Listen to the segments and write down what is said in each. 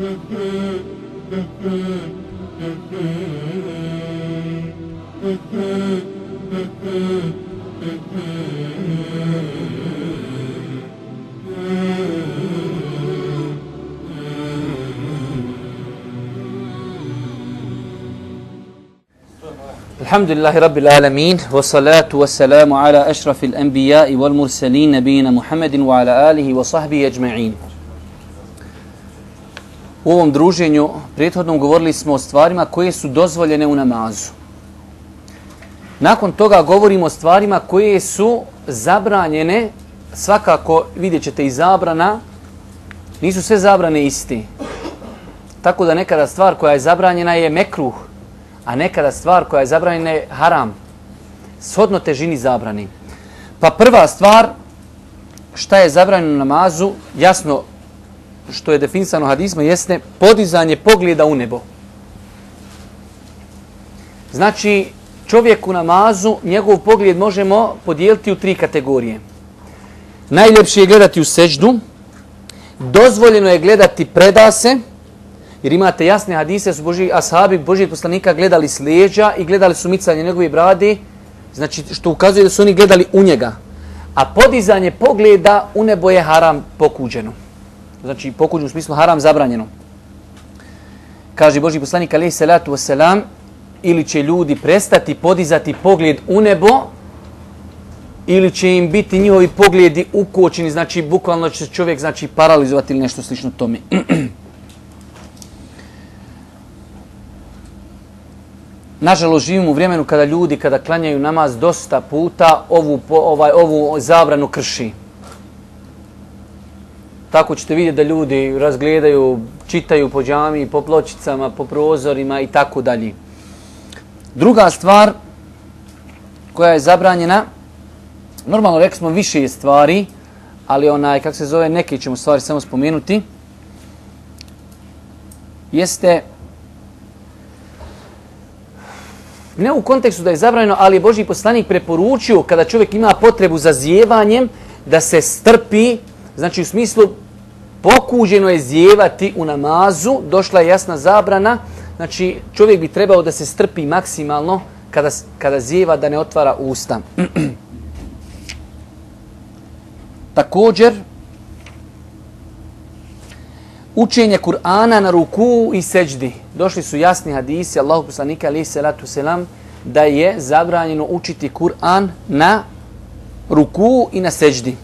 Alhamdulillahi Rabbil Alamin, wa salatu wa salamu ala ašrafil anbiya'i wal mursalin nabijina Muhammedin wa ala alihi wa sahbihi ajma'in. U ovom druženju prethodnom govorili smo o stvarima koje su dozvoljene u namazu. Nakon toga govorimo o stvarima koje su zabranjene, svakako vidjet ćete i zabrana, nisu sve zabrane iste. Tako da nekada stvar koja je zabranjena je mekruh, a nekada stvar koja je zabranjena je haram, shodno težini zabrani. Pa prva stvar, šta je zabranjeno u namazu, jasno što je definisano hadisma, jeste podizanje pogleda u nebo. Znači, čovjek u namazu, njegov pogled možemo podijeliti u 3 kategorije. Najljepše je gledati u seđdu, dozvoljeno je gledati predase, jer imate jasne hadise, su ashabi Božijeg poslanika gledali s leđa i gledali su micanje njegove brade, znači što ukazuje da su oni gledali u njega. A podizanje pogleda u nebo je haram pokuđeno. Znači pokuđeno u smislu haram zabranjeno. Kaže Božji poslanik alejhi salatu vesselam, ili će ljudi prestati podizati pogled u nebo, ili će im biti njihovi pogledi ukočeni, znači bukvalno će čovjek znači paralizovati ili nešto slično tome. Nažalost, živimo u vremenu kada ljudi, kada klanjaju namaz dosta puta, ovu zabranu krši. Tako ćete vidjeti da ljudi razgledaju, čitaju po džamiji, po pločicama, po prozorima i tako dalje. Druga stvar koja je zabranjena, normalno rekli smo više stvari, ali kako se zove, neke ćemo stvari samo spomenuti, jeste ne u kontekstu da je zabranjeno, ali je Božji poslanik preporučio kada čovjek ima potrebu za zijevanjem da se strpi, znači u smislu pokuđeno je zijevati u namazu, došla je jasna zabrana, znači čovjek bi trebao da se strpi maksimalno kada zijeva, da ne otvara usta. Također, učenje Kur'ana na ruku i seđdi. Došli su jasni hadisi Allahu poslanika alejhi salatu selam da je zabranjeno učiti Kur'an na ruku i na seđdi.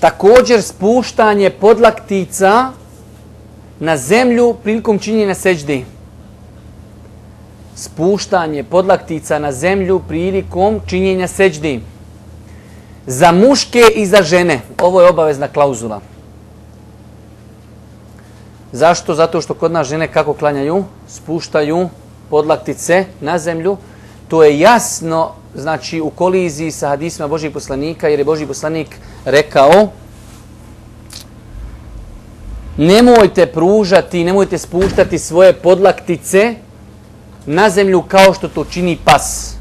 Također spuštanje podlaktica na zemlju prilikom činjenja seđdi. Spuštanje podlaktica na zemlju prilikom činjenja seđdi. Za muške i za žene. Ovo je obavezna klauzula. Zašto? Zato što kod nas žene kako klanjaju? Spuštaju podlaktice na zemlju. To je jasno, znači u koliziji sa hadisima Božjeg poslanika, jer je Božji poslanik rekao: nemojte pružati, nemojte spuštati svoje podlaktice na zemlju kao što to čini pas.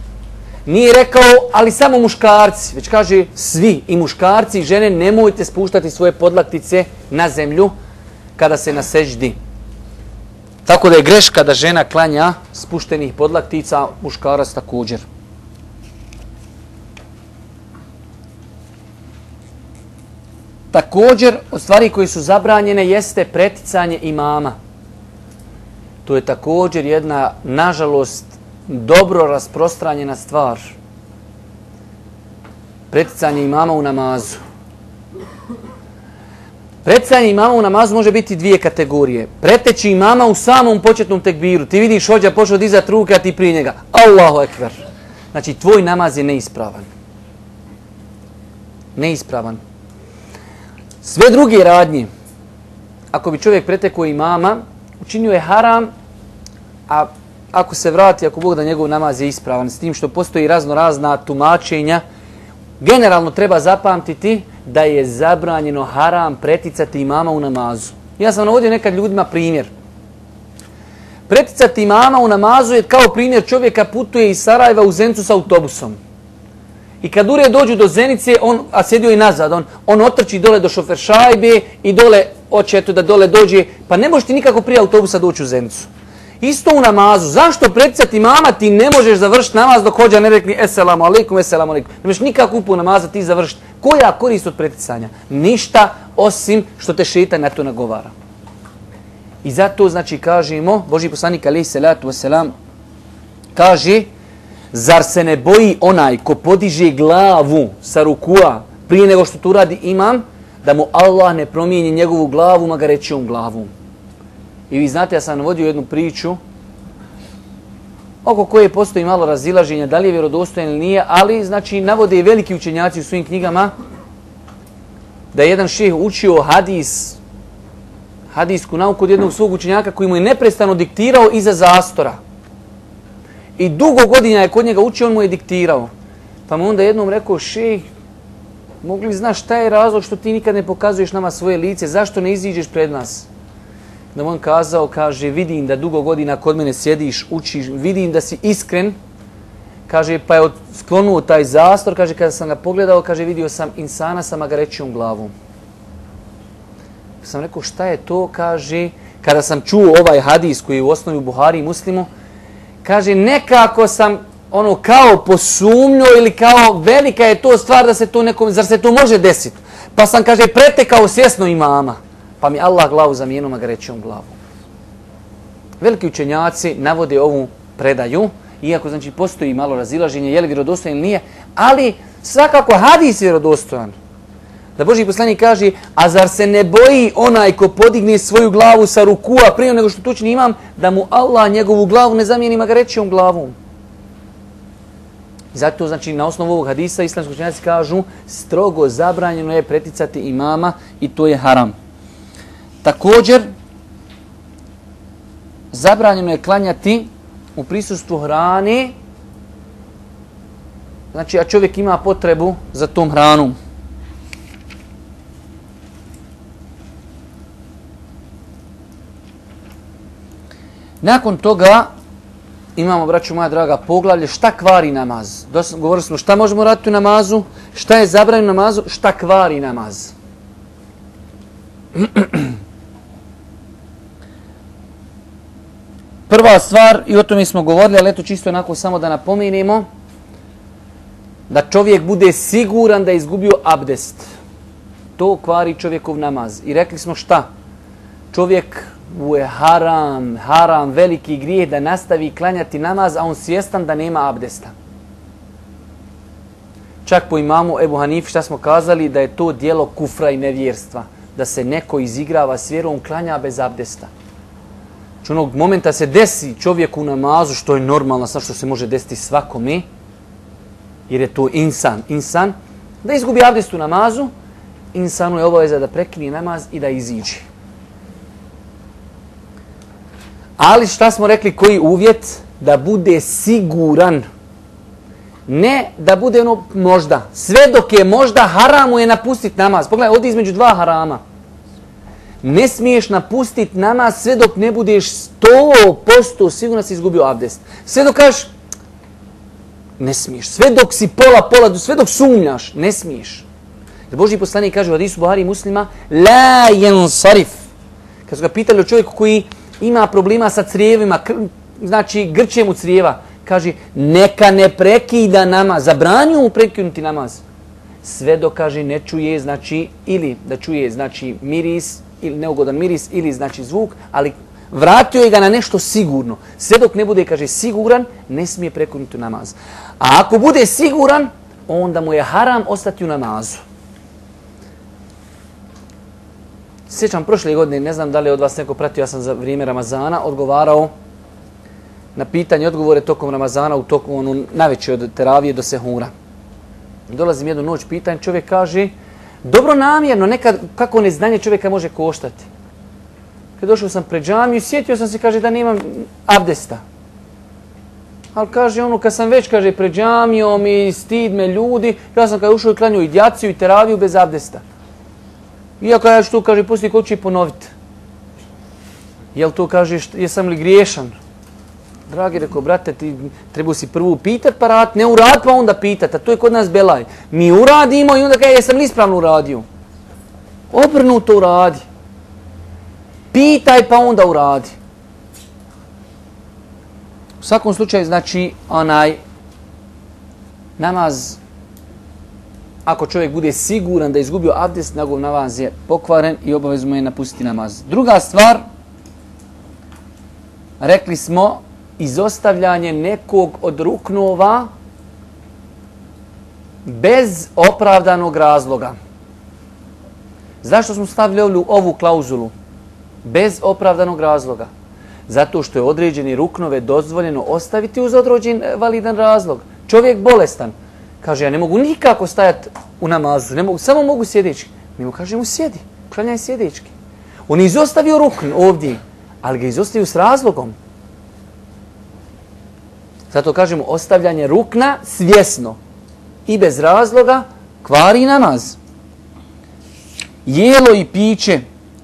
Nije rekao, ali samo muškarci, već kaže svi, i muškarci i žene, nemojte spuštati svoje podlaktice na zemlju kada se na seđdi. Tako da je greška da žena klanja spuštenih podlaktica, muškarac također. Također, od stvari koje su zabranjene jeste preticanje imama. To je također jedna, nažalost, dobro rasprostranjena stvar. Preticanje imama u namazu. Preticanje imama u namazu može biti 2 kategorije. Preteći imama u samom početnom tekbiru. Ti vidiš hođa pošao dizat ruke, a ti prije njega. Allahu ekber. Znači, tvoj namaz je neispravan. Neispravan. Sve druge radnje, ako bi čovjek pretekao imama, učinio je haram, a ako se vrati, ako Bog da njegov namaz je ispravan, s tim što postoji razna tumačenja, generalno treba zapamtiti da je zabranjeno haram preticati imama u namazu. Ja sam navodio nekad ljudima primjer. Preticati imama u namazu je kao primjer čovjeka putuje iz Sarajeva u Zencu s autobusom. I kad ure dođu do Zenice, a sjedio i nazad, on otrči dole do šoferšajbe i dole, hoće eto da dole dođe, pa ne možeš ti nikako prije autobusa doći u Zenicu. Isto u namazu. Zašto preticati mama ti ne možeš završiti namaz dok hođa ne rekli eselamu alaikum, eselamu alaikum. Ne možeš nikako upu namaza ti završiti. Koja korist od preticanja? Ništa osim što te šeitan na to nagovara. I zato znači kažemo, Božji poslanik alejhi selatu vesselam kaže, zar se ne boji onaj ko podiže glavu sa rukua prije nego što to radi imam, da mu Allah ne promijeni njegovu glavu magarećom glavom. I vi znate, ja sam navodio jednu priču oko koje postoji malo razilaženja, da li je vjerodostojan ili nije, ali znači navode i veliki učenjaci u svojim knjigama da je jedan šejh učio hadijsku nauku od jednog svog učenjaka koji mu je neprestano diktirao iza zastora. I dugo godina je kod njega učio, on mu je diktirao. Pa mu onda jednom rekao, šejh, mogli znaš šta je razlog što ti nikad ne pokazuješ nama svoje lice, zašto ne iziđeš pred nas? Da on kazao, kaže, vidim da dugo godina kod mene sjediš, učiš, vidim da si iskren. Kaže, pa je sklonuo taj zastor, kaže, kada sam ga pogledao, kaže, vidio sam insana sa magarećom glavom. Sam rekao, šta je to? Kaže, kada sam čuo ovaj hadis koji je u osnovi u Buhari i Muslimu, kaže, nekako sam kao posumnio ili kao velika je to stvar da se to nekom, zar se to može desiti? Pa sam, kaže, pretekao svjesno imama. Pa mi Allah glavu zamijenio magarećom glavu. Veliki učenjaci navode ovu predaju, iako znači postoji malo razilaženje, je li vjerodostojan ili nije, ali svakako hadis je vjerodostojan. Da Božji poslanik kaže, a zar se ne boji onaj ko podigne svoju glavu sa rukua prije nego što tučni imam, da mu Allah njegovu glavu ne zamijeni magarećom glavom. Zato znači na osnovu ovog hadisa islamski učenjaci kažu, strogo zabranjeno je preticati imama i to je haram. Također, zabranjeno je klanjati u prisustvu hrane, znači a čovjek ima potrebu za tom hranom. Nakon toga imamo, braćo moja draga, poglavlje šta kvari namaz. Govorili smo šta možemo raditi u namazu, šta je zabranjeno u namazu, šta kvari namaz. Prva stvar, i o tome smo govorili, ali eto čisto onako samo da napomenemo, da čovjek bude siguran da je izgubio abdest. To kvari čovjekov namaz. I rekli smo šta? Čovjek mu je haram, veliki grijeh da nastavi klanjati namaz, a on svjestan da nema abdesta. Čak po imamu Ebu Hanifi šta smo kazali, da je to djelo kufra i nevjerstva. Da se neko izigrava s vjerom, klanja bez abdesta. Znači onog momenta se desi čovjeku u namazu, što je normalno, što se može desiti svakome, jer je to insan, da izgubi abdest u namazu, insanu je obaveza da prekine namaz i da iziđe. Ali šta smo rekli, koji uvjet? Da bude siguran. Ne da bude možda. Sve dok je možda, haramu je napustiti namaz. Pogledaj, ovdje između dva harama. Ne smiješ napustiti namaz sve dok ne budeš 100% sigurno si izgubio abdest. Sve dok kažeš, ne smiješ. Sve dok si pola, sve dok sumnjaš, ne smiješ. Jer Božji poslanik kaže u hadisu Buhari i Muslima, la yansarif. Kad su ga pitali o čovjeku koji ima problema sa crijevima, znači grče mu crijeva, kaže, neka ne prekida namaz, zabranju mu prekinuti namaz. Sve dok, kaže, ne čuje, znači, ili da čuje, znači, miris, ili neugodan miris, ili, znači, zvuk, ali vratio je ga na nešto sigurno. Sve dok ne bude, kaže, siguran, ne smije prekinuti namaz. A ako bude siguran, onda mu je haram ostati u namazu. Sjećam prošle godine, ne znam da li je od vas neko pratio, ja sam za vrijeme Ramazana odgovarao na pitanje, odgovore tokom Ramazana, u toku najveće od teravije do sehura. Dolazim jednu noć, pitanje, čovjek kaže, dobro namjerno, nekad kako neznanje čovjeka može koštati. Kad došao sam pred džamiju, sjetio sam se, kaže, da nemam abdesta. Ali kaže, kad sam već, kaže, pred džamijom i stid me ljudi, ja sam kada ušao i klanio i djaciju i teraviju bez abdesta. Iako ja ću to, kaže, poslije kod ću i ponoviti. Jel to, kaže, jesam li griješan? Dragi, rekao, brate, ti treba si prvo pitat pa rad, ne urad pa onda pitat, a to je kod nas belaj. Mi uradimo i onda kaže, jesam li ispravno uradio? Obrnuto uradi. Pitaj pa onda uradi. U svakom slučaju, znači, namaz, ako čovjek bude siguran da je izgubio abdest, njegov namaz je pokvaren i obavezno je napustiti namaz. Druga stvar, rekli smo, izostavljanje nekog od ruknova bez opravdanog razloga. Zašto smo stavili ovu klauzulu? Bez opravdanog razloga. Zato što je određeni ruknove dozvoljeno ostaviti uz određen validan razlog. Čovjek bolestan. Kaže, ja ne mogu nikako stajati u namazu, samo mogu sjedeći. Mi mu kažemo, sjedi, klanjaj sjedečki. On je izostavio rukn ovdje, ali ga izostavio s razlogom. Zato kažemo, ostavljanje rukna svjesno i bez razloga kvari namaz. Jelo i piće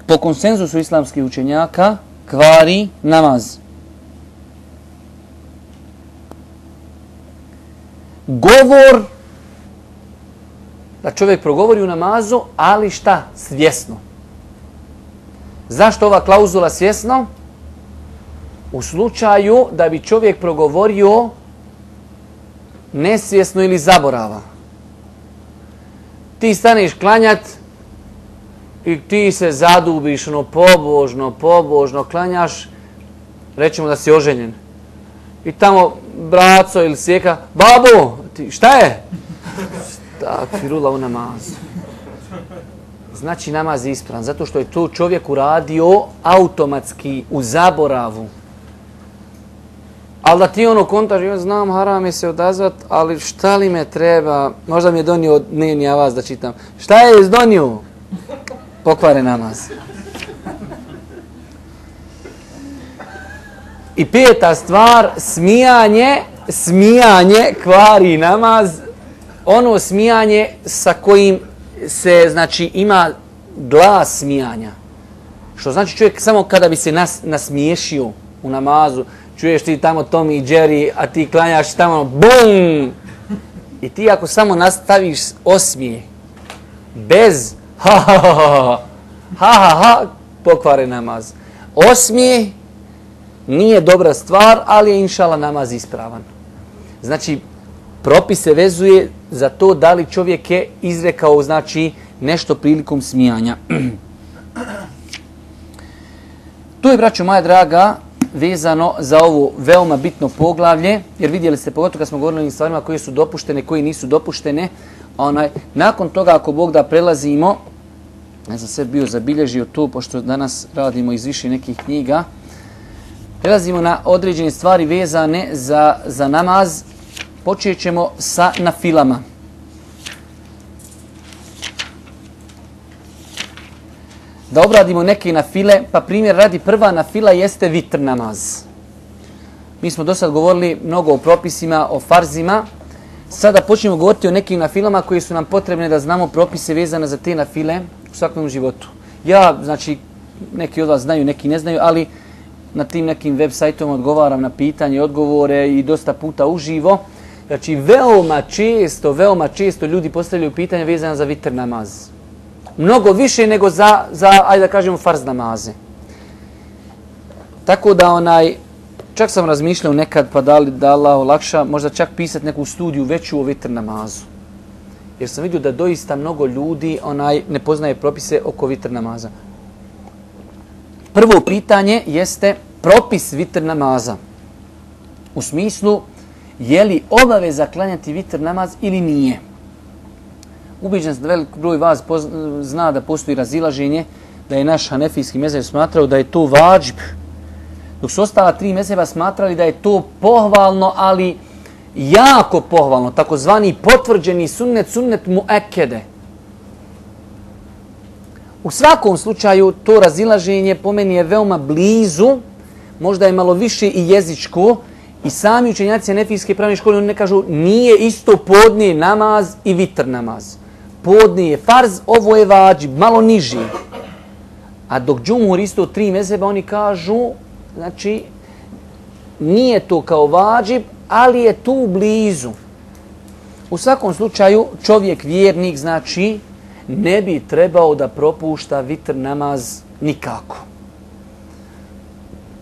po konsenzusu islamskih učenjaka kvari namaz. Govor, da čovjek progovori u namazu, ali šta? Svjesno. Zašto ova klauzula svjesno? U slučaju da bi čovjek progovorio nesvjesno ili zaborava. Ti staneš klanjat i ti se zadubiš, pobožno klanjaš, rećemo da si oženjen. I tamo braco ili sjeka, babo, šta je? Tak, firula u namazu. Znači namaz je ispravan, zato što je to čovjek uradio automatski u zaboravu. Ali da ti kontaš, ja znam, haram je se odazvat, ali šta li me treba, možda mi je donio dnevni avaz da čitam. Šta je donio? Pokvare namaz. I peta stvar, smijanje kvari namaz. Ono smijanje sa kojim se, znači, ima glas smijanja. Što znači čovjek samo kada bi se nasmiješio u namazu, čuješ ti tamo Tom i Jerry, a ti klanjaš tamo, bum! I ti ako samo nastaviš osmije, bez ha, pokvare namaz. Osmije nije dobra stvar, ali je inšala namaz ispravan. Znači, propis se vezuje za to da li čovjek je izrekao, znači, nešto prilikom smijanja. Tu je, braćo moja draga, vezano za ovo veoma bitno poglavlje, jer vidjeli ste, pogotovo kad smo govorili o stvarima koje su dopuštene, koje nisu dopuštene, nakon toga, ako Bog da, prelazimo, ja sam sve bio zabilježio tu, pošto danas radimo iz više nekih knjiga, prelazimo na određene stvari vezane za namaz. Počet ćemo sa nafilama. Da obradimo neke nafile, pa primjer radi, prva nafila jeste vitr namaz. Mi smo do sad govorili mnogo o propisima, o farzima. Sada počnemo govoriti o nekim nafilama koji su nam potrebne da znamo propise vezane za te nafile u svakom životu. Ja, znači, neki od vas znaju, neki ne znaju, ali na tim nekim web sajtom odgovaram na pitanje i odgovore i dosta puta uživo. Znači, veoma često ljudi postavljaju pitanja vezane za vitr namaz. Mnogo više nego za ajde da kažemo, farz namaze. Tako da, čak sam razmišljao nekad, pa da Allah olakša, možda čak pisati neku studiju veću o vitr namazu. Jer sam vidio da doista mnogo ljudi ne poznaje propise oko vitr namaza. Prvo pitanje jeste propis vitr namaza. U smislu, je li obaveza klanjati vitr namaz ili nije? Ubeđen sam da velik broj vas zna da postoji razilaženje, da je naš hanefijski mezheb smatrao da je to vadžib, dok su ostala tri mezheba smatrali da je to pohvalno, ali jako pohvalno, takozvani potvrđeni sunnet muekede. U svakom slučaju to razilaženje po meni je veoma blizu, možda je malo više i jezičko, i sami učenjaci hanefijske pravne škole, oni ne kažu nije isto podne namaz i vitr namaz. Podne je farz, ovo je vadžib, malo niži. A dok džumhur isto tri mezheba, oni kažu, znači, nije to kao vađib, ali je tu blizu. U svakom slučaju čovjek vjernik, znači, ne bi trebao da propušta vitr namaz nikako.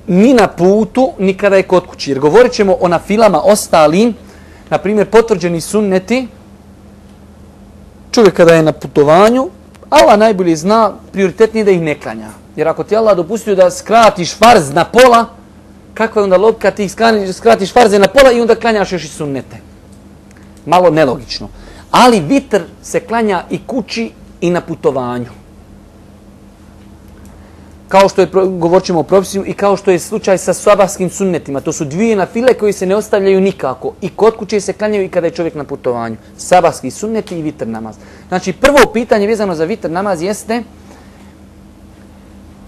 Ni na putu, ni kada je kod kući. Jer govorit ćemo o nafilama ostalim, na primjer potvrđeni sunneti, čovjek kada je na putovanju, Allah najbolje zna, prioritetnije da ih ne klanja. Jer ako ti Allah dopustio da skratiš farz na pola, kakva je onda logika, ti skratiš farze na pola i onda klanjaš još i sunnete. Malo nelogično. Ali vitr se klanja i kući i na putovanju. Kao što je, govorit ćemo o propisima, i kao što je slučaj sa sabahskim sunnetima. To su dvije nafile koji se ne ostavljaju nikako. I kod kuće se klanjaju i kada je čovjek na putovanju. Sabahski sunneti i vitr namaz. Znači, prvo pitanje vezano za vitr namaz jeste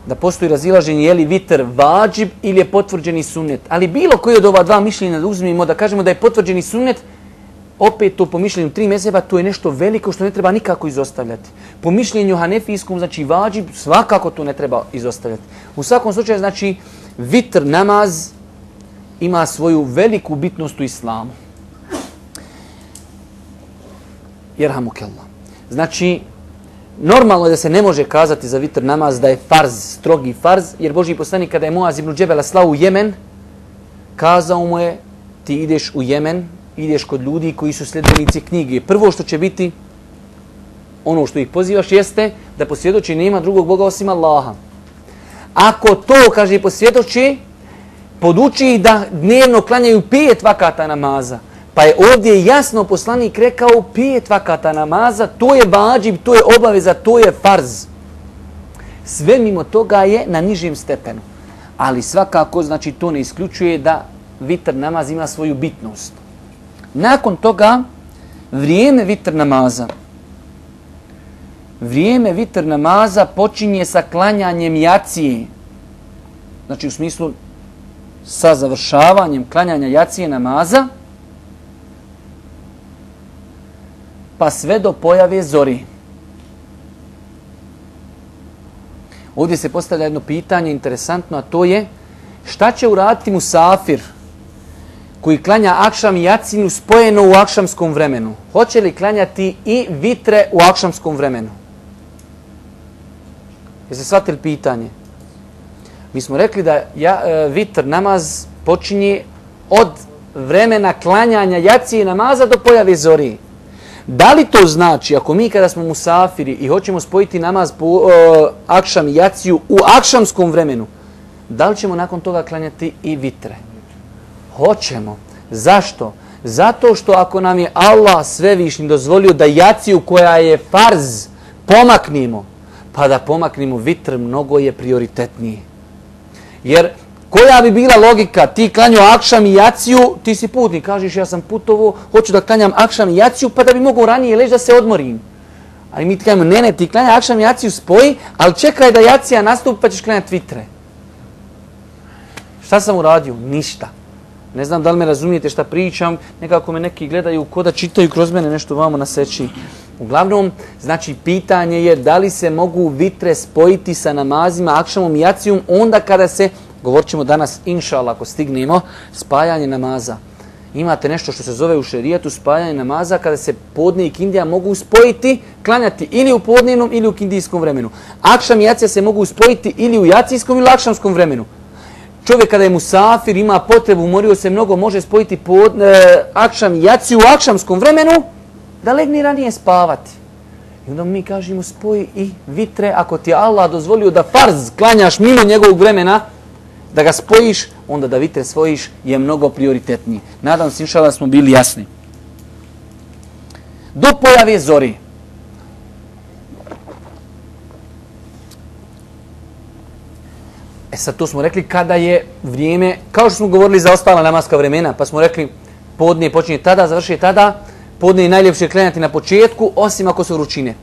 da postoji razilaženje je li vitr vađib ili je potvrđeni sunnet. Ali bilo koji od ova dva mišljenja da uzmimo, da kažemo da je potvrđeni sunnet, opet to po mišljenju 3 mezheba, to je nešto veliko što ne treba nikako izostavljati. Po mišljenju hanefijskom, znači vađib, svakako to ne treba izostavljati. U svakom slučaju, znači, vitr namaz ima svoju veliku bitnost u islamu. Jerhamukallah. Znači, normalno je da se ne može kazati za vitr namaz da je farz, strogi farz, jer Božji poslanik kada je Muaz ibn Džebela slao u Jemen, kazao mu je, ti ideš u Jemen, ideš kod ljudi koji su sljedbenici knjige. Prvo što će biti, ono što ih pozivaš, jeste da posvjedoči nema drugog Boga osim Allaha. Ako to, kaže, posvjedoči, poduči ih da dnevno klanjaju 5 vakata namaza. Pa je ovdje jasno poslanik rekao 5 vakata namaza, to je vađib, to je obaveza, to je farz. Sve mimo toga je na nižem stepenu. Ali svakako, znači, to ne isključuje da vitr namaz ima svoju bitnost. Nakon toga, vrijeme vitr namaza. Vrijeme vitr namaza počinje sa klanjanjem jacije. Znači, u smislu sa završavanjem klanjanja jacije namaza, pa sve do pojave zori. Ovdje se postavlja jedno pitanje interesantno, a to je šta će uraditi musafir koji klanja akšam i jacinu spojeno u akšamskom vremenu? Hoće li klanjati i vitre u akšamskom vremenu? Jeste shvatili pitanje? Mi smo rekli da vitr namaz počinje od vremena klanjanja jacije namaza do pojave zori. Da li to znači, ako mi kada smo musafiri i hoćemo spojiti namaz po akšam i jaciju u akšamskom vremenu, da li ćemo nakon toga klanjati i vitre? Hoćemo. Zašto? Zato što ako nam je Allah svevišnji dozvolio da jaciju koja je farz pomaknimo, pa da pomaknimo vitr, mnogo je prioritetniji. Jer koja bi bila logika? Ti klanjao akšam i jaciju, ti si putnik, kažeš ja sam putovo, hoću da klanjam akšam i jaciju, pa da bi mogao ranije leći da se odmorim. Ali mi ti klanjamo, ne, ti klanja akšam i jaciju spoji, ali čekaj da jacija nastupi pa ćeš klanjati vitre. Šta sam uradio? Ništa. Ne znam da li me razumijete šta pričam, nekako me neki gledaju ko da čitaju kroz mene nešto vamo na seći. Uglavnom, znači pitanje je da li se mogu vitre spojiti sa namazima, akšamom i jacijom, onda kada se, govorit ćemo danas, inšallah, ako stignemo, spajanje namaza. Imate nešto što se zove u šerijetu spajanje namaza, kada se podne i kindija mogu spojiti, klanjati ili u podnevnom ili u kindijskom vremenu. Akšam i jacija se mogu spojiti ili u jacijskom ili u akšamskom vremenu. Čovjek kada je musafir, ima potrebu, umorio se mnogo, može spojiti akšam i jaciju u akšamskom vremenu, da legne ranije spavati. I onda mi kažemo spoji i vitre, ako ti je Allah dozvolio da farz klanjaš mimo njegovog vremena, da ga spojiš, onda da vitre svojiš je mnogo prioritetniji. Nadam se, inšallah, smo bili jasni. Do pojave zori. Sad to smo rekli kada je vrijeme, kao što smo govorili za ostala namaska vremena, pa smo rekli podne počinje tada, završuje tada, podne je najljepše klanjati na početku, osim ako su vrućine.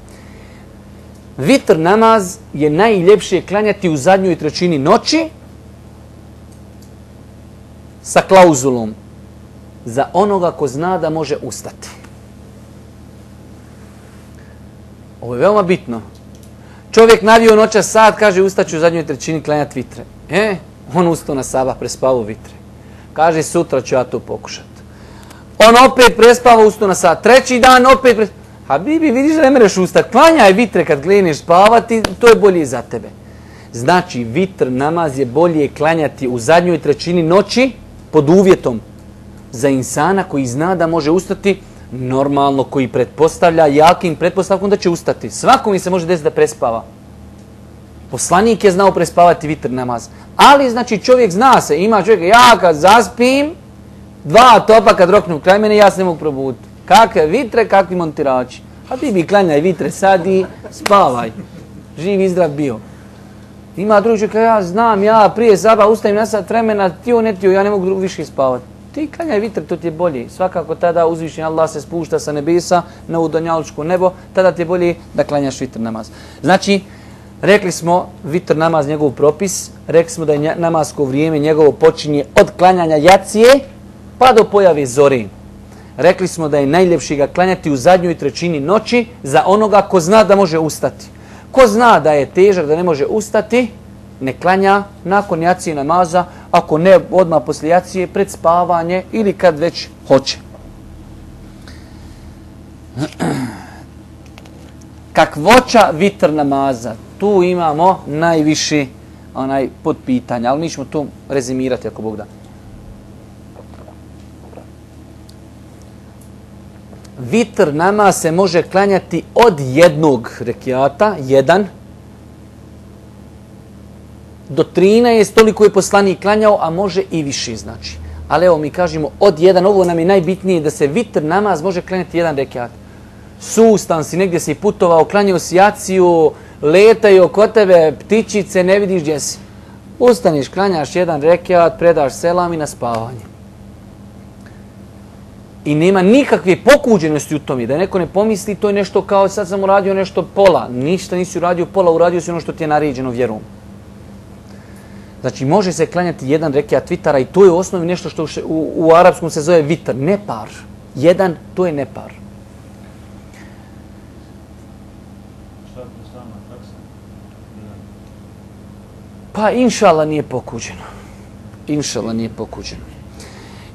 Vitr namaz je najljepše klanjati u zadnjoj trećini noći sa klauzulom za onoga ko zna da može ustati. Ovo je veoma bitno. Čovjek navio noćas sat, kaže ustaću u zadnjoj trećini klanjati vitre. On ustao na sabah, prespavao vitre. Kaže, sutra ću ja to pokušati. On opet prespava, ustao na sat. Treći dan opet prespava. Habibi, vidiš da ne mereš ustati. Klanjaj vitre kad kreneš spavati, to je bolje za tebe. Znači, vitr namaz je bolje klanjati u zadnjoj trećini noći pod uvjetom za insana koji zna da može ustati normalno, koji pretpostavlja jakim pretpostavkom da će ustati. Svako mi se može desiti da prespava. Poslanik je znao prespavati vitr namaz. Ali, znači, čovjek zna se, ima čovjek, ja kad zaspim, 2 topa kad roknu kraj mene, ja se ne mogu probuditi. Kakve vitre, kakvi montirači. Habibi, klanjaj vitre sad i spavaj. Živ i zdrav bio. Ima drugi čovjek, ja znam, ja prije saba ustajem na sat vremena, tio ne tio, ja ne mogu više spavati. Ti klanjaj vitre, to ti je bolje. Svakako tada uzvišen Allah se spušta sa nebesa na udonjalučko nebo, tada ti je bolje da klanjaš vitr namaz. Znači, rekli smo vitr namaz, njegov propis, rekli smo da je namasko vrijeme njegovo počinje od klanjanja jacije pa do pojave zore. Rekli smo da je najljepši ga klanjati u zadnjoj trećini noći za onoga ko zna da može ustati. Ko zna da je težak, da ne može ustati, ne klanja nakon jacije namaza, ako ne odmah poslije jacije, pred spavanje ili kad već hoće. Kakvoća vitr namaza, tu imamo najviši podpitanja, ali mi ćemo to rezimirati ako Bog da. Vitr namaz se može klanjati od jednog rekiata, 1, do 13, toliko je poslanik klanjao, a može i više znači. Ali evo mi kažemo od 1, ovo nam je najbitnije da se vitr namaz može klanjati 1 rekiat. Sustan si, negdje si putovao, klanjao si jaciju, letaju oko tebe ptičice, ne vidiš gdje si. Ustaniš, klanjaš 1 rekiat, predaš selam i na spavanje. I nema nikakve pokuđenosti u tome, da neko ne pomisli to je nešto kao sad sam uradio nešto pola. Ništa nisi uradio pola, uradio si ono što ti je naređeno vjerom. Znači može se klanjati 1 rekiat vitara i to je u osnovi nešto što u arapskom se zove vitar, nepar. 1, to je nepar. Pa inšallah nije pokuđeno. Inšallah nije pokuđeno.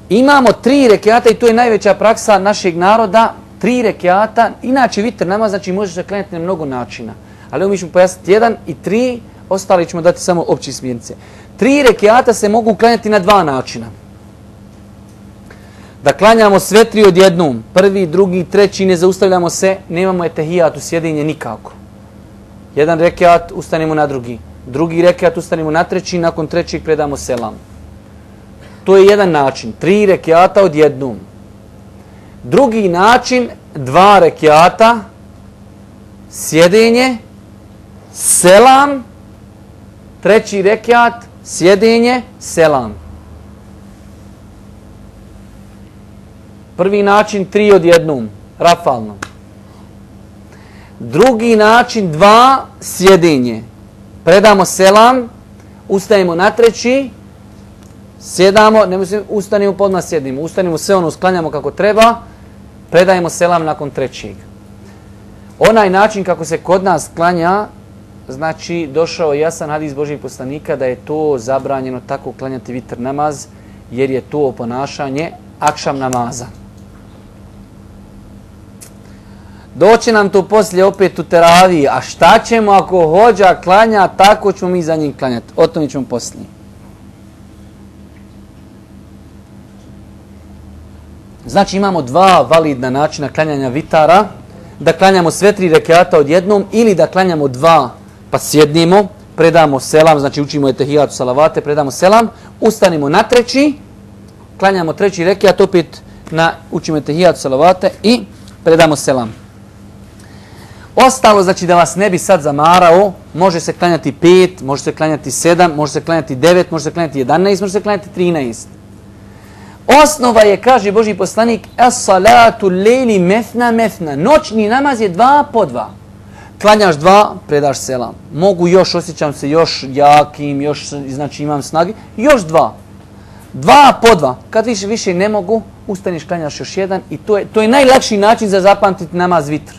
Imamo 3 rekiata i to je najveća praksa našeg naroda. 3 rekiata, inače vitr namaz, znači može se klanjati na mnogo načina. Ali mi ćemo pojasniti 1 i 3, ostali ćemo dati samo opće smjernice. 3 rekiata se mogu klanjati na 2 načina. Da klanjamo sve 3 odjednom, 1., 2., 3, ne zaustavljamo se, nemamo etehijat u sjedinje nikako. 1 rekiat, ustanemo na 2. 2. rekiat, ustanemo na 3, nakon 3. predamo selam. To je jedan način, 3 rekiata odjednom. Drugi način, 2 rekiata, sjedenje, selam, 3. rekiat, sjedenje, selam. Prvi način 3 odjednom, rafalno. Drugi način 2 sjedenje. Predamo selam, ustajemo na 3, sjedamo, ne mislim, ustanimo podmah sjedimo, ustanimo sve ono, sklanjamo kako treba, predajemo selam nakon 3. Onaj način kako se kod nas klanja, znači došao jasan hadis Božijeg poslanika da je to zabranjeno tako klanjati vitr namaz, jer je to ponašanje akšam namaza. Doći nam to poslije opet u teraviji, a šta ćemo ako hođa klanja, tako ćemo mi za njim klanjati. O tome ćemo poslije. Znači imamo 2 validna načina klanjanja vitara, da klanjamo sve 3 rekiata odjednom ili da klanjamo 2 pa sjednimo, predamo selam, znači učimo etehijatu salavate, predamo selam, ustanimo na 3, klanjamo 3 rekiat, opet učimo etehijatu salavate i predamo selam. Ostalo, znači da vas ne bi sad zamarao, može se klanjati 5, može se klanjati 7, može se klanjati 9, može se klanjati 11, može se klanjati 13. Osnova je, kaže Božji poslanik, as-salatu lejli methna methna. Noćni namaz je 2 po 2. Klanjaš 2, predaš selam. Mogu još, osjećam se još jakim, još, znači imam snagi, još 2. 2 po 2. Kad više ne mogu, ustaniš, klanjaš još 1 i to je najlakši način za zapamtiti namaz vitr.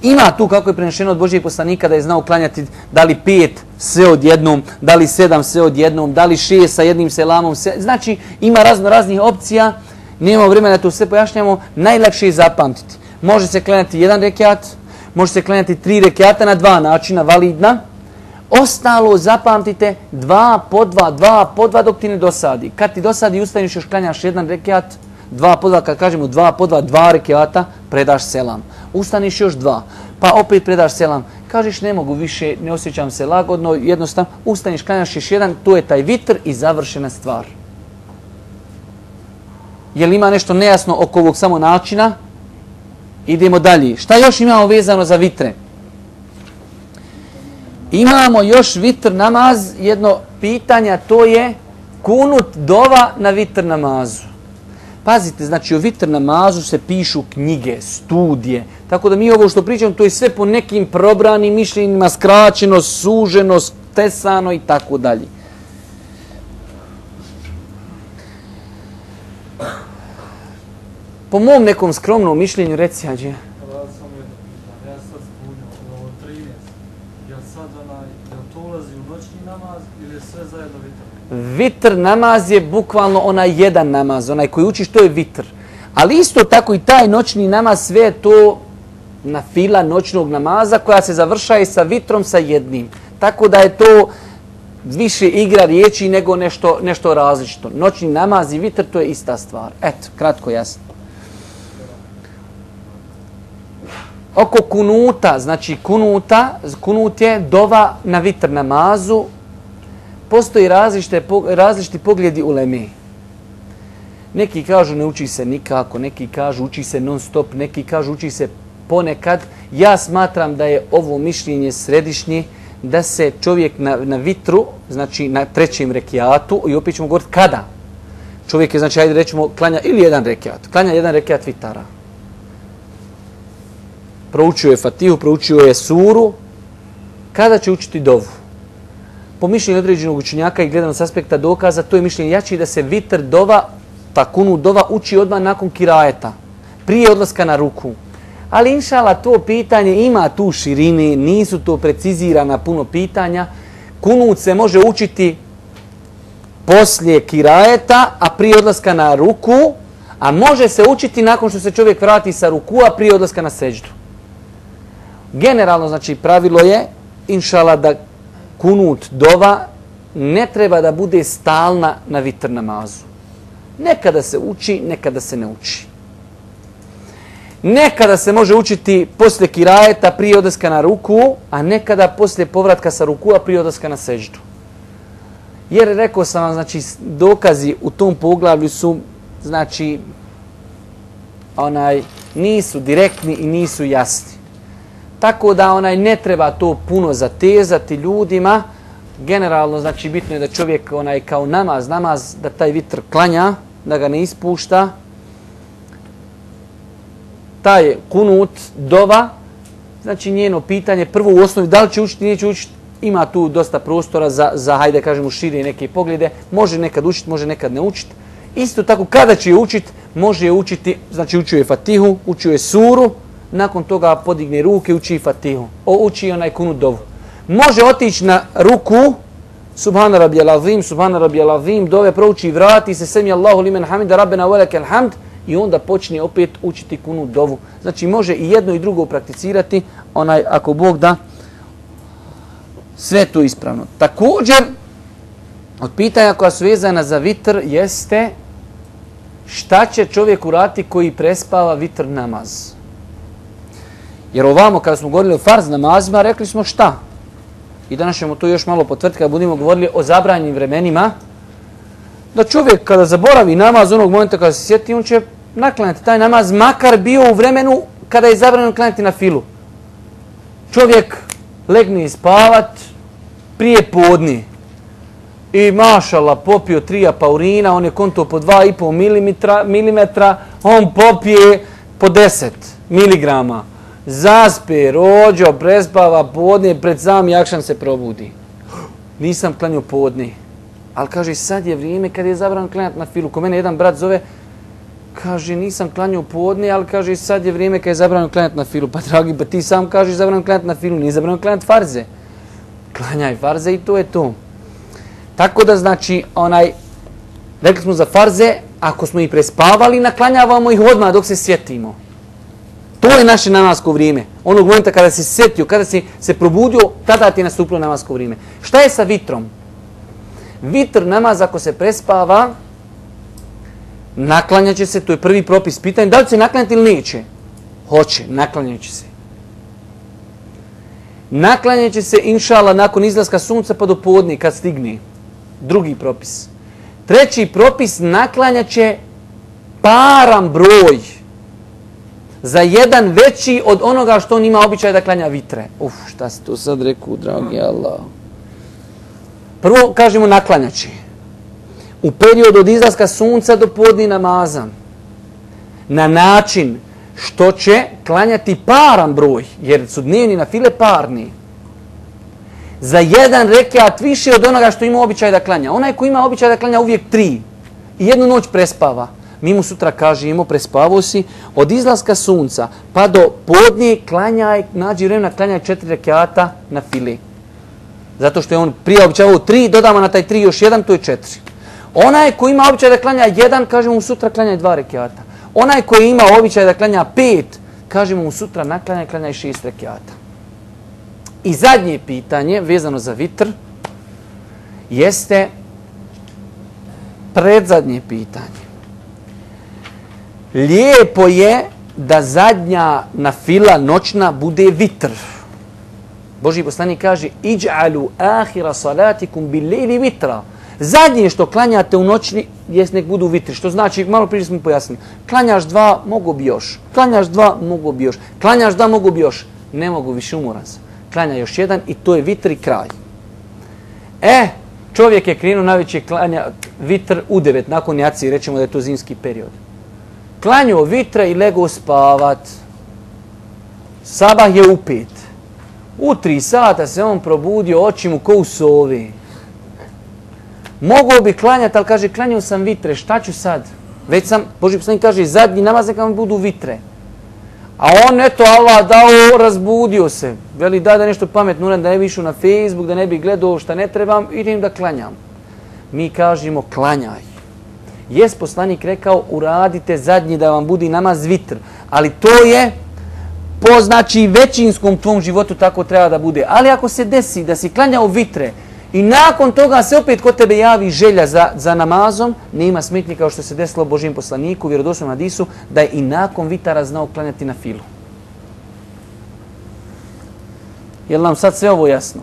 Ima tu, kako je prenešeno od Božijeg poslanika, da je znao klanjati da li 5 sve odjednom, da li 7 sve odjednom, da li 6 sa jednim selamom. Znači, ima raznih opcija. Nemamo vremena da to sve pojašnjamo. Najlakše je zapamtiti. Može se klanjati 1 rekiat, može se klanjati 3 rekiata na 2 načina, validna. Ostalo zapamtite 2 po 2 dok ti ne dosadi. Kad ti dosadi, ustaniš još klanjaš 1 rekiat, 2 po 2, kad kažemo 2 po 2 rekiata, predaš selam. Ustaniš još 2, pa opet predaš selam. Kažeš ne mogu više, ne osjećam se lagodno, jednostavno, ustaniš, klanjaš još 1, to je taj vitr i završena stvar. Je li ima nešto nejasno oko ovog samo načina? Idemo dalje. Šta još imamo vezano za vitre? Imamo još vitr namaz, jedno pitanje, to je kunut dova na vitr namazu. Pazite, znači o vitr namazu se pišu knjige, studije. Tako da mi ovo što pričamo, to je sve po nekim probranim mišljenjima, skraćeno, suženo, stesano i tako dalje. Po mom nekom skromnom mišljenju, reci Hadži. Ja sad spunio, ovo 13. Ja sad to ulazi u noćni namaz ili je sve zajedno vitr? Vitr namaz je bukvalno onaj jedan namaz, onaj koji učiš, to je vitr. Ali isto tako i taj noćni namaz, sve je to na fila noćnog namaza koja se završaje sa vitrom sa jednim. Tako da je to više igra riječi nego nešto različito. Noćni namaz i vitr, to je ista stvar. Eto, kratko, jasno. Oko kunuta, znači kunut je dova na vitr namazu. Postoji različiti pogledi uleme. Neki kažu ne uči se nikako, neki kažu uči se non stop, neki kažu uči se ponekad. Ja smatram da je ovo mišljenje središnje, da se čovjek na vitru, znači na 3. rekiatu, i opet ćemo govoriti kada. Čovjek je, znači, ajde rećemo, klanja ili 1 rekiat, klanja 1 rekiat vitara. Proučio je Fatihu, proučio je suru, kada će učiti dovu? Po mišljenju određenog učenjaka i gledano s aspekta dokaza, to je mišljenje jači da se vitr dova, ta kunut dova, uči odmah nakon kirajeta, prije odlaska na ruku. Ali inšala to pitanje ima tu širine, nisu to precizirana puno pitanja. Kunut se može učiti poslije kirajeta, a prije odlaska na ruku, a može se učiti nakon što se čovjek vrati sa rukua prije odlaska na seđdu. Generalno, znači, pravilo je, inšala, da kunut dova ne treba da bude stalna na vitr namazu. Nekada se uči, nekada se ne uči. Nekada se može učiti poslije kirajeta prije odlaska na ruku, a nekada poslije povratka sa rukua prije odlaska na seđdu. Jer rekao sam vam, znači, dokazi u tom poglavlju su, znači, nisu direktni i nisu jasni. Tako da ne treba to puno zatezati ljudima. Generalno, znači, bitno je da čovjek kao namaz, da taj vitr klanja, da ga ne ispušta. Taj kunut dova, znači njeno pitanje, prvo u osnovi, da li će učiti, neće učiti, ima tu dosta prostora za hajde kažemo, šire neke poglede. Može nekad učiti, može nekad ne učiti. Isto tako, kada će je učiti, može je učiti, znači učio je Fatihu, učio je suru, nakon toga podigne ruke, uči Fatihu. Uči onaj kunut dovu. Može otići na ruku, Subhana rabbijal azim, Subhana rabbijal azim, dove prouči, vrati se, semi Allahu limen hamida, rabbena velekel hamd, i onda počne opet učiti kunut dovu. Znači može i jedno i drugo prakticirati, ako Bog da, sve to ispravno. Također, od pitanja koja su vezana za vitr jeste šta će čovjek uraditi koji prespava vitr namaz. Jer ovamo, kada smo govorili o farz namazima, rekli smo šta? I danas ćemo to još malo potvrditi kada budemo govorili o zabranjenim vremenima. Da čovjek kada zaboravi namaz onog momenta kada se sjeti, on će naklanjati taj namaz, makar bio u vremenu kada je zabranjeno klanjati na filu. Čovjek legne spavat prije podni i mašala popio 3 apaurina, on je konto po 2,5 milimetra, on popije po 10 miligrama. Zaspe, rođo, prespava podne, pred sam jakšan se probudi. Nisam klanio podne. Ali kaže, sad je vrijeme kad je zabranjeno klanjati na filu. Ko mene jedan brat zove, kaže, nisam klanio podne, ali kaže, sad je vrijeme kad je zabranjeno klanjati na filu. Pa dragi, pa ti sam kažeš zabranjeno klanjati na filu, nije zabranjeno klanjati farze. klanjaj farze i to je to. Tako da znači, rekli smo za farze, ako smo ih prespavali, naklanjavamo ih odmah dok se sjetimo. To je naše namasko vrijeme. Onog momenta kada si sjetio, kada si se probudio, tada ti je nastupilo namasko vrijeme. Šta je sa vitrom? Vitr namaz ako se prespava, naklanjat će se, to je prvi propis. Pitanje, da li će naklanjati ili neće? Hoće, naklanjat će se. Naklanjat će se, inšala, nakon izlaska sunca pa do podne, kad stigne. Drugi propis. Treći propis, naklanjat će paran broj. Za jedan veći od onoga što on ima običaj da klanja vitre. Šta si to sad rekao, dragi Allah. Prvo, kažemo, naklanjat će. U periodu od izlaska sunca do podne namaza. Na način što će klanjati paran broj, jer su dnevni na file parni. Za jedan rekiat više od onoga što ima običaj da klanja. Onaj ko ima običaj da klanja uvijek 3 i jednu noć prespava. Mi mu sutra kažemo, prespavao si, od izlaska sunca pa do podne klanjaj, nađi vremena, klanjaj 4 rekiata na file. Zato što je on prije običavao 3, dodamo na taj 3 još 1, to je 4. Onaj ko ima običaj da klanja 1, kažemo mu sutra klanjaj 2 rekiata. Onaj koji ima običaj da klanja 5, kažemo mu sutra naklanjaj, klanjaj 6 rekiata. I zadnje pitanje, vezano za vitr, jeste predzadnje pitanje. Lijepo je da zadnja nafila noćna bude vitr. Božji poslanik kaže: "Iđ'alu ahira salatikum bil-lejli vitra." Zadnje što klanjate u noći jest nek budu vitri. Što znači, malo prije smo pojasnili, klanjaš 2, mogu bi još. Klanjaš 2, mogu bi još. Klanjaš 2, mogu bi još. Ne mogu više, umoran sam. Klanja još 1 i to je vitr i kraj. Čovjek je krenuo najveće klanja vitr u 9, nakon jaci, rećemo da je to zimski period. Klanjao vitra i legao spavat. Sabah je u 5. U 3 sata se on probudio, oči mu ko u sovi. Mogao bi klanjati, ali kaže, klanjao sam vitre, šta ću sad? Već sam, Božji poslanik kaže, zadnji namaz neka vam budu vitre. A on, eto, Allah dao, razbudio se. Veli, da nešto pametno, da ne bi išao na Facebook, da ne bi gledao šta ne trebam, idem da klanjam. Mi kažemo, klanjaj. Jest poslanik rekao, uradite zadnji da vam budi namaz vitr. Ali to je po znači većinskom tvom životu tako treba da bude. Ali ako se desi da si klanjao vitre i nakon toga se opet kod tebe javi želja za namazom, nema smetnje kao što se desilo Božjem poslaniku, vjerodostojnom hadisu, da je i nakon vitara znao klanjati na filu. Je li nam sad sve ovo jasno?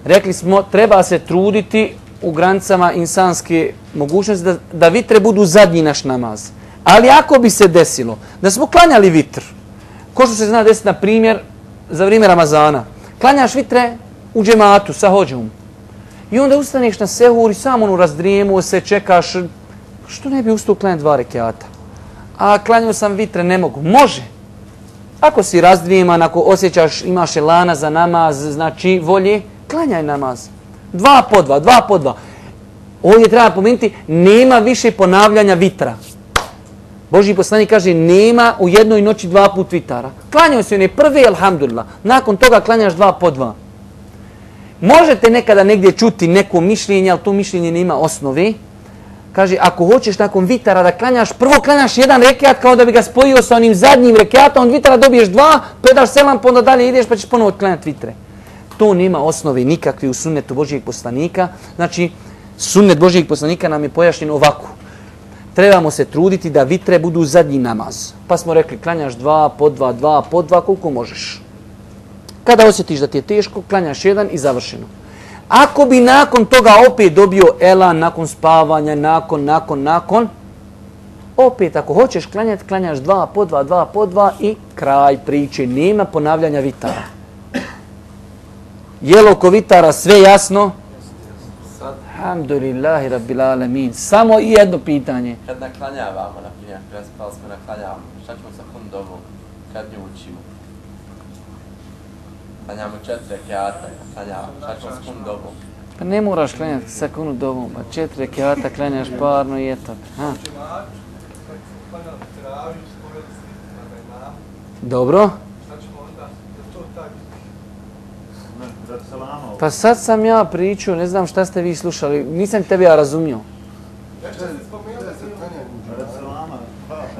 Rekli smo, treba se truditi u granicama insanske mogućnosti da vitre budu zadnji naš namaz. Ali ako bi se desilo da smo klanjali vitr, ko što se zna desiti, na primjer, za vrijeme Ramazana, klanjaš vitre u džematu sa hođom i onda ustaneš na sehur i samo razdrijemuo se, čekaš, što ne bi ustao klanjati 2 rekiata? A klanjao sam vitre, ne mogu. Može. Ako si razdrijeman, ako osjećaš, imaš elana za namaz, znači volje, klanjaj namaz. 2 po 2, 2 po 2. Ovdje treba pomenuti, nema više ponavljanja vitra. Božji poslanik kaže, nema u jednoj noći 2 put vitara. Klanjaju se one prve, alhamdulillah. Nakon toga klanjaš 2 po 2. Možete nekada negdje čuti neko mišljenje, ali to mišljenje nema osnove. Kaže, ako hoćeš nakon vitara da klanjaš, prvo klanjaš 1 rekiat kao da bi ga spojio sa onim zadnjim rekiatom, od vitara dobiješ 2, predaš selam, pa onda dalje ideš pa ćeš ponovo klanjati vitre. To nema osnove nikakve u sunnetu Božjeg poslanika. Znači, sunnet Božjeg poslanika nam je pojašnjen ovako. Trebamo se truditi da vitre budu zadnji namaz. Pa smo rekli, klanjaš 2 po 2, 2 po 2, koliko možeš. Kada osjetiš da ti je teško, klanjaš 1 i završeno. Ako bi nakon toga opet dobio elan, nakon spavanja, nakon, opet ako hoćeš klanjati, klanjaš 2 po 2, 2 po 2 i kraj priče. Nema ponavljanja vitara. Je li oko vitara sve jasno? Alhamdulillahi rabbil alamin. Samo i jedno pitanje. Kad naklanjavamo, na primjer, prespali smo naklanjavamo, šta ćemo sa kundovom, kad nju učimo? Klanjamo 4 rekiata, naklanjavamo, šta ćemo s kundovom? Pa ne moraš klanjati sa kundovom, pa 4 rekiata klanjaš parno i eto. Dobro. Pa sad sam ja pričao, ne znam šta ste vi slušali, nisam tebe ja razumio.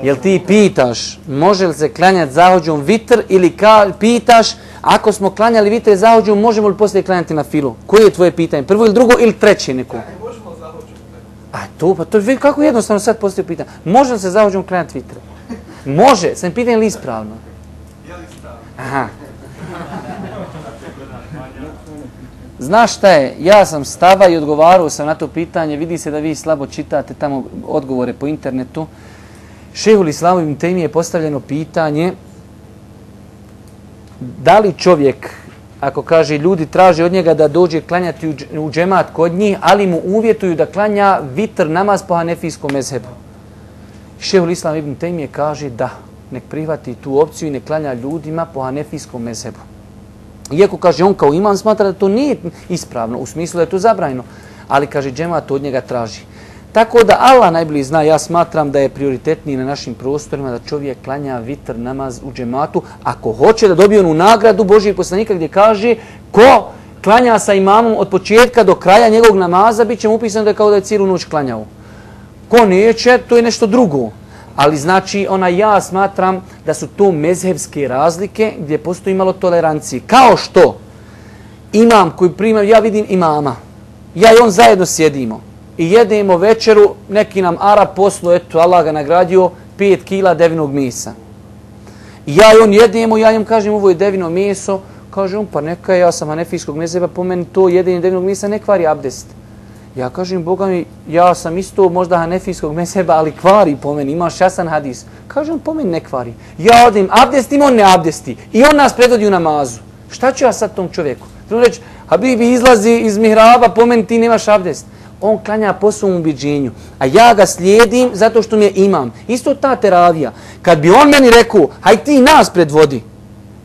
Jel ti pitaš, može li se klanjati zahođom vitr ili pitaš, ako smo klanjali vitr i zahođom, možemo li poslije klanjati na filu? Koje je tvoje pitanje? Prvo ili drugo ili treće neko? Možemo zahođom. A to, pa to je kako jednostavno sad postoji pitanje. Može li se zahođom klanjati vitre? Može, sam pitanje li ispravno? Je li ispravno? Aha. Znaš šta je, ja sam stava i odgovarao sam na to pitanje, vidi se da vi slabo čitate tamo odgovore po internetu. Šejhul Islam ibn Tejmije je postavljeno pitanje da li čovjek, ako kaže ljudi traže od njega da dođe klanjati u džemat kod njih, ali mu uvjetuju da klanja vitr namaz po hanefijskom mezhebu. Šejhul Islam ibn Tejmije kaže da, nek prihvati tu opciju i nek klanja ljudima po hanefijskom mezhebu. Iako kaže on kao imam smatra da to nije ispravno, u smislu da je to zabranjeno, ali kaže džemat od njega traži. Tako da Allah najbolje zna, ja smatram da je prioritetniji na našim prostorima da čovjek klanja vitr namaz u džematu, ako hoće da dobije onu nagradu Božijeg poslanika gdje kaže ko klanja sa imamom od početka do kraja njegovog namaza, bit će mu upisano da je kao da je cijelu noć klanjao. Ko neće, to je nešto drugo. Ali znači, ja smatram da su to mezhevske razlike gdje postoji malo tolerancije. Kao što imam koji prima, ja vidim imama, ja i on zajedno sjedimo i jedemo večeru, neki nam Arab poslu, eto Allah ga nagradio, 5 kila devinog mesa. I ja i on jedemo, ja im kažem ovo je devino meso, kaže on pa neka ja sam hanefijskog mezheba, po meni to jedenje devinog mesa ne kvari abdest. Ja kažem, Boga mi, ja sam isto možda hanefijskog mezheba, ali kvari po meni, imaš jasan hadis. Kažem, po meni ne kvari. Ja odim abdestim, on ne abdesti. I on nas predvodi u namazu. Šta ću ja sad tom čovjeku? Treba reći, Habibi izlazi iz mihraba, po meni ti nemaš abdest. On klanja po svom ubiđenju, a ja ga slijedim zato što mi je imam. Isto ta teravija. Kad bi on meni rekao, haj ti nas predvodi,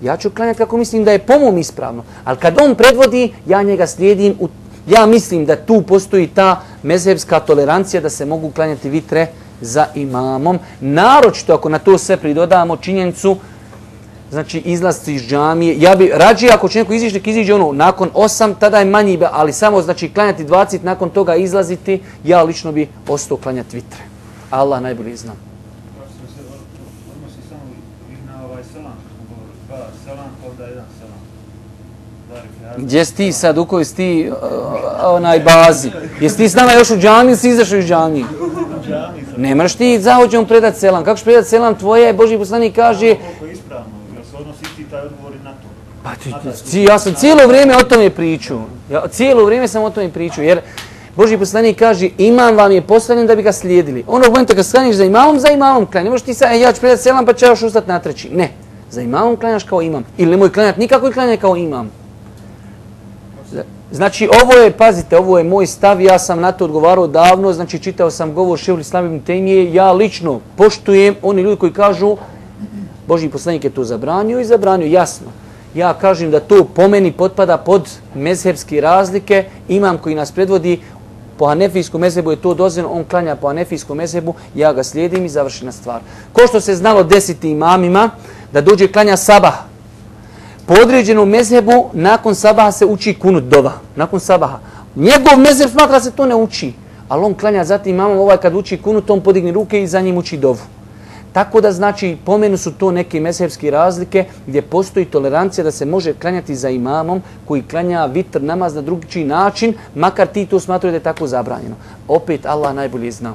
ja ću klanjati kako mislim da je po mom ispravno. Ali kad on predvodi, ja njega slijedim u ja mislim da tu postoji ta mezhebska tolerancija da se mogu klanjati vitre za imamom. Naročito ako na to sve pridodamo činjenicu, znači izlazci iz džamije. Ja bi rađe ako će neko izići, nek iziđe nakon 8, tada je manji, ali samo znači klanjati 20, nakon toga izlaziti, ja lično bi ostao klanjati vitre. Allah najbolje zna. Odnosi samo na ovaj selam, dva selam, ovdje jedan selam. Gdje si ti sad, u kojoj si ti bazi? Jesi ti s nama još u džami ili si izašao iz džami? Ne moraš ti zahođom predati selam. Kako ćeš predati selam tvoje? Božji poslanik kaže... Koliko je ispravno, jer se odnosi ti taj odgovor na to. Pa ja sam cijelo vrijeme o tome pričao. Cijelo vrijeme sam o tome pričao. Jer Božji poslanik kaže imam vam je postavljen da bi ga slijedili. Onog momenta kad sklanjaš za imamom klanj. Ne možeš ti sad, ja ću predati selam pa ću još ustati na treći. Ne. Za imamom klanjaš kao imam. Ili nemoj klanjati nikako i klanjaj kao imam. Znači ovo je, pazite, ovo je moj stav, ja sam na to odgovarao davno, znači čitao sam govor Šejhul Islam ibn Tejmije, ja lično poštujem oni ljudi koji kažu Božji poslanik je to zabranio i zabranio, jasno. Ja kažem da to po meni potpada pod mezhebske razlike, imam koji nas predvodi po hanefijskom mezhebu je to dozvoljeno, on klanja po hanefijskom mezhebu, ja ga slijedim i završena stvar. Ko što se znalo desiti imamima da dođe klanja sabah, po određenom mezhebu nakon sabaha se uči kunut dova. Nakon sabaha. Njegov mezheb smatra se to ne uči. Ali on klanja zatim imamom kad uči kunut, on podigne ruke i za njim uči dovu. Tako da znači pomenu su to neke mezhebske razlike gdje postoji tolerancija da se može klanjati za imamom koji klanja vitr namaz na drugi način, makar ti to smatraju da je tako zabranjeno. Opet Allah najbolje zna.